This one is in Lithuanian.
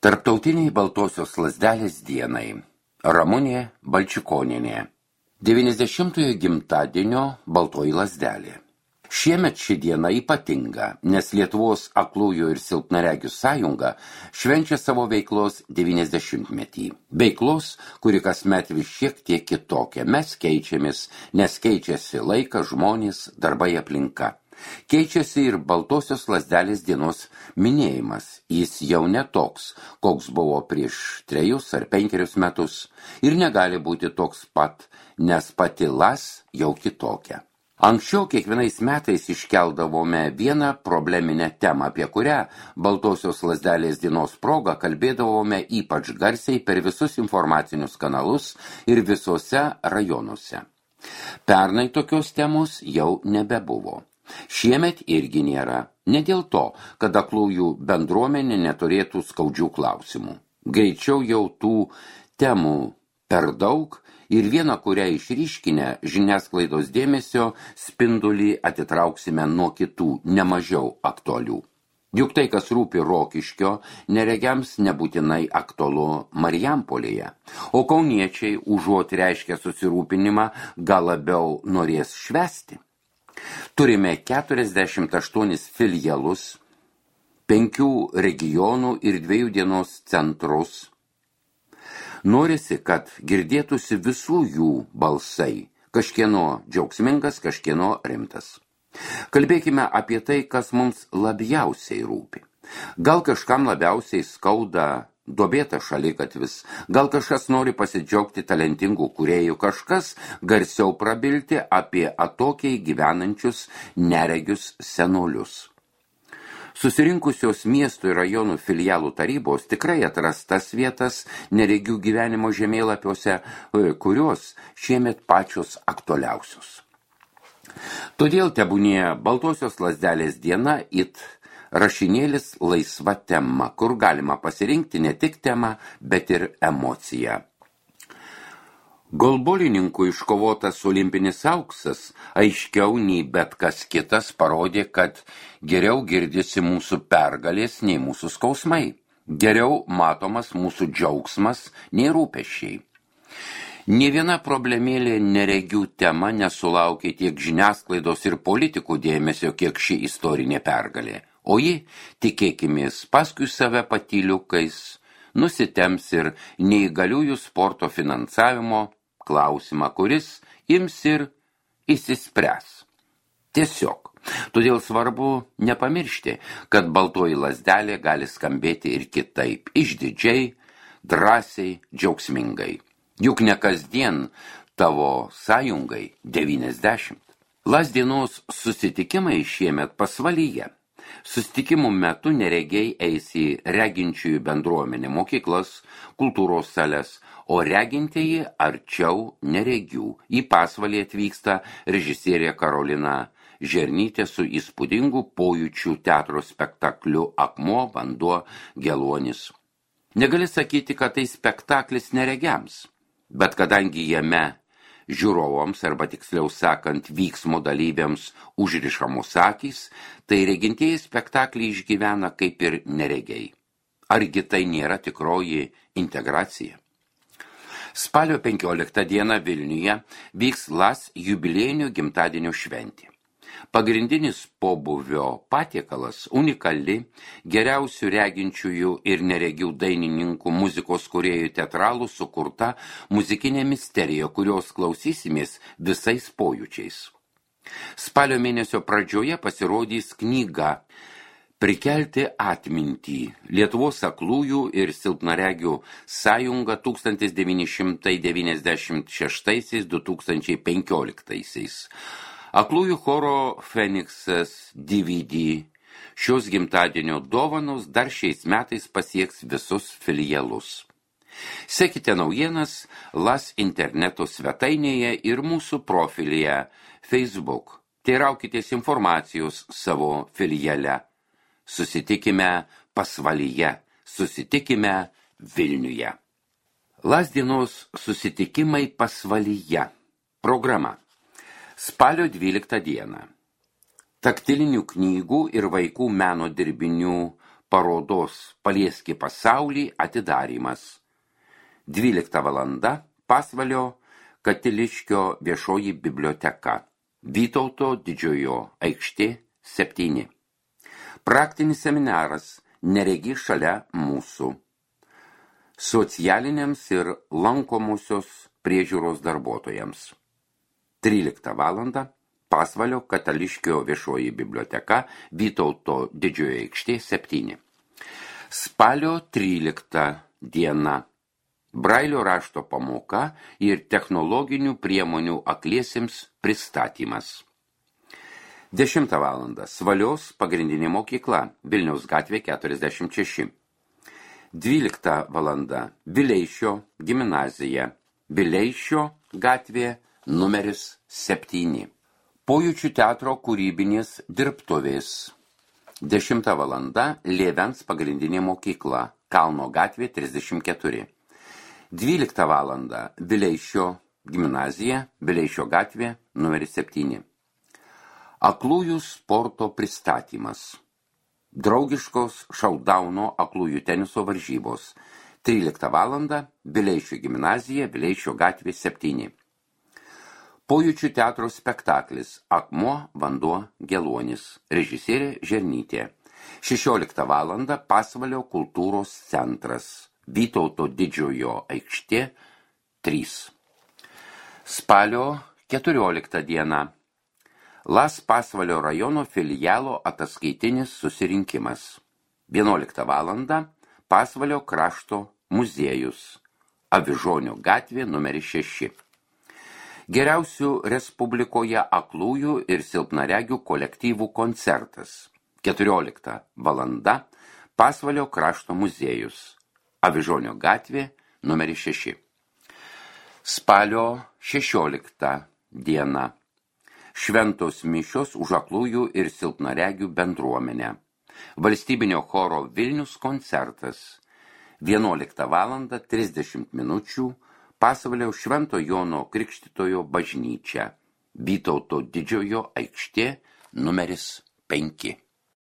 Tarptautiniai Baltosios lazdelės dienai. Ramunė Balčikonienė. 90-ojo gimtadienio Baltoji lazdelė. Šiemet ši diena ypatinga, nes Lietuvos aklųjų ir silpnaregių sąjunga švenčia savo veiklos 90-metį. Veiklos, kuri kasmet vis šiek tiek kitokia. Mes keičiamės, nes keičiasi laikas, žmonės, darbai, aplinka. Keičiasi ir Baltosios lazdelės dienos minėjimas. Jis jau ne toks, koks buvo prieš 3 ar 5 metus ir negali būti toks pat, nes pati las jau kitokia. Anksčiau kiekvienais metais iškeldavome vieną probleminę temą, apie kurią Baltosios lazdelės dienos proga kalbėdavome ypač garsiai per visus informacinius kanalus ir visose rajonuose. Pernai tokios temos jau nebebuvo. Šiemet irgi nėra. Ne dėl to, kad aklųjų bendruomenė neturėtų skaudžių klausimų. Greičiau jau tų temų per daug ir vieną, kurią išryškinę žiniasklaidos dėmesio spindulį atitrauksime nuo kitų nemažiau aktualių. Juk tai, kas rūpi Rokiškio, neregiams nebūtinai aktualu Marijampolėje, o kauniečiai užuot reiškia susirūpinimą, gal labiau norės švęsti. Turime 48 filialus, 5 regionų ir 2 dienos centrus. Norisi, kad girdėtųsi visų jų balsai, kažkieno džiaugsmingas, kažkieno rimtas. Kalbėkime apie tai, kas mums labiausiai rūpi. Gal kažkam labiausiai skauda duobėtas šaligatvis, gal kažkas nori pasidžiaugti talentingų kūrėjų, kažkas garsiau prabilti apie atokiai gyvenančius neregius senolius. Susirinkusios miestų ir rajonų filialų tarybos tikrai atras tas vietas neregių gyvenimo žemėlapiuose, kurios šiemet pačios aktualiausios. Todėl tebūnie Baltosios lazdelės diena it rašinėlis laisva tema, kur galima pasirinkti ne tik temą, bet ir emociją. Golbolininkų iškovotas olimpinis auksas aiškiau nei bet kas kitas parodė, kad geriau girdisi mūsų pergalės nei mūsų skausmai. Geriau matomas mūsų džiaugsmas nei rūpesčiai. Nė viena problemėlė neregių tema nesulaukė tiek žiniasklaidos ir politikų dėmesio, kiek ši istorinė pergalė. O ji, tikėkimės, paskui save patyliukais nusitems ir neįgaliųjų sporto finansavimo klausimą, kuris ims ir išsispręs. Tiesiog. Todėl svarbu nepamiršti, kad Baltoji lazdelė gali skambėti ir kitaip, išdidžiai, drąsiai, džiaugsmingai. Juk ne kasdien tavo sąjungai 90. Lazdienos susitikimai šiemet pasvalyje. Susitikimų metu neregiai eis į reginčiųjų bendruomenę, mokyklas, kultūros sales, o regintieji arčiau neregių. Į pasvalį atvyksta režisierė Karolina Žernytė su įspūdingu pojūčių teatro spektakliu Akmuo, vanduo, geluonis. Negali sakyti, kad tai spektaklis neregiams, bet kadangi jame žiūrovams, arba tiksliau sakant, vyksmo dalyviams užrišamos akys, tai regintieji spektaklį išgyvena kaip ir neregiai. Argi tai nėra tikroji integracija? Spalio 15 dieną Vilniuje vyks LAS jubiliejinio gimtadienio šventė. Pagrindinis pobūvio patiekalas unikali geriausių reginčiųjų ir neregių dainininkų, muzikos kūrėjų, teatralų sukurta muzikinė misterija, kurios klausysimės visais pojūčiais. Spalio mėnesio pradžioje pasirodys knyga Prikelti atmintį. Lietuvos aklųjų ir silpnaregių sąjunga 1996–2015. Aklųjų choro Feniksas DVD. Šios gimtadienio dovanos dar šiais metais pasieks visus filialus. Sekite naujienas LAS interneto svetainėje ir mūsų profilyje Facebook. Teiraukitės informacijos savo filiale. Susitikime pasvalyje, susitikime Vilniuje. LAS dienos susitikimai pasvalyje. Programa. Spalio 12 dieną. Taktilinių knygų ir vaikų meno dirbinių parodos Palieski pasaulį atidarymas. 12 valanda Pasvalio Katiliškio viešoji biblioteka. Vytauto Didžiojo aikštė 7. Praktinis seminaras Neregi šalia mūsų. Socialiniams ir lankomosios priežiūros darbuotojams. 13 valanda Pasvalio Katiliškio viešoji biblioteka, Vytauto Didžiojo aikštė 7. Spalio 13 diena. Brailio rašto pamoka ir technologinių priemonių akliesiems pristatymas. 10 valanda Svalios pagrindinė mokykla, Vilniaus gatvė 46. 12 valanda Vileišio gimnazija, Vileišio gatvė numeris 7. Pojūčių teatro kūrybinės dirbtuvės. 10 valanda Lėvens pagrindinė mokykla, Kalno gatvė 34. 12 valanda Vileišio gimnazija, Vileišio gatvė numeris 7. Aklųjų sporto pristatymas. Draugiškos šaudauno aklųjų teniso varžybos. 13 valanda Vileišio gimnazija, Vileišio gatvė 7. Pojūčių teatro spektaklis Akmuo, vanduo, geluonis. Režisierė Žernytė. 16 valanda Pasvalio kultūros centras. Vytauto Didžiojo aikštė 3. Spalio 14 diena. Las Pasvalio rajono filialo ataskaitinis susirinkimas. 11 valanda Pasvalio krašto muziejus. Avižonio gatvė numeris 6. Geriausių Respublikoje aklųjų ir silpnaregių kolektyvų koncertas. 14 valanda Pasvalio krašto muziejus. Avižonio gatvė numeris 6. Spalio 16 diena. Šventos mišios už aklųjų ir silpnaregių bendruomenę. Valstybinio choro Vilnius koncertas. 11 valanda 30 minučių Pasvalio Švento Jono Krikštytojo bažnyčia. Vytauto Didžiojo aikštė numeris 5.